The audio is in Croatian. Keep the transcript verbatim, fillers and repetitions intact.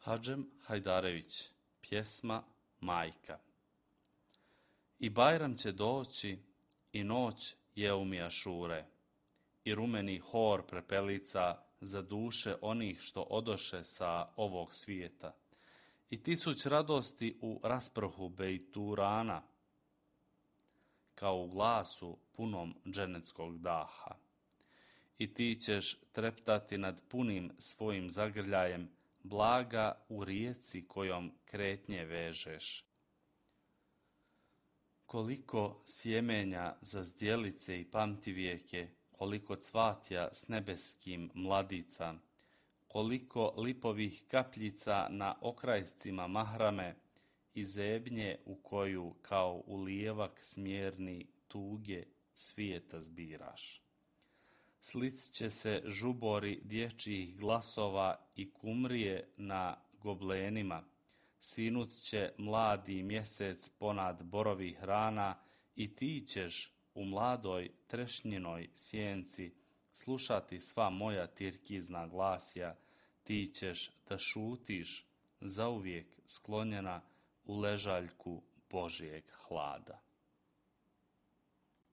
Hadžem Hajdarević, pjesma Majka. I Bajram će doći i noć Jeumi Ašure i rumeni hor prepelica za duše onih što odoše sa ovog svijeta i tisuć radosti u rasprhu bejturana kao u glasu punom dženecskog daha. I ti ćeš treptati nad punim svojim zagrljajem blaga u rijeci kojom kretnje vežeš. Koliko sjemenja za zdjelice i pamtivijeke, koliko cvatja s nebeskim mladica, koliko lipovih kapljica na okrajcima mahrame i zebnje u koju kao u lijevak smjerni tuge svijeta zbiraš. Slit će se žubori dječjih glasova i kumrije na goblenima, sinut će mladi mjesec ponad borovih rana i ti ćeš u mladoj trešnjinoj sjenci slušati sva moja tirkizna glasja, ti ćeš da šutiš zauvijek sklonjena u ležaljku Božijeg hlada.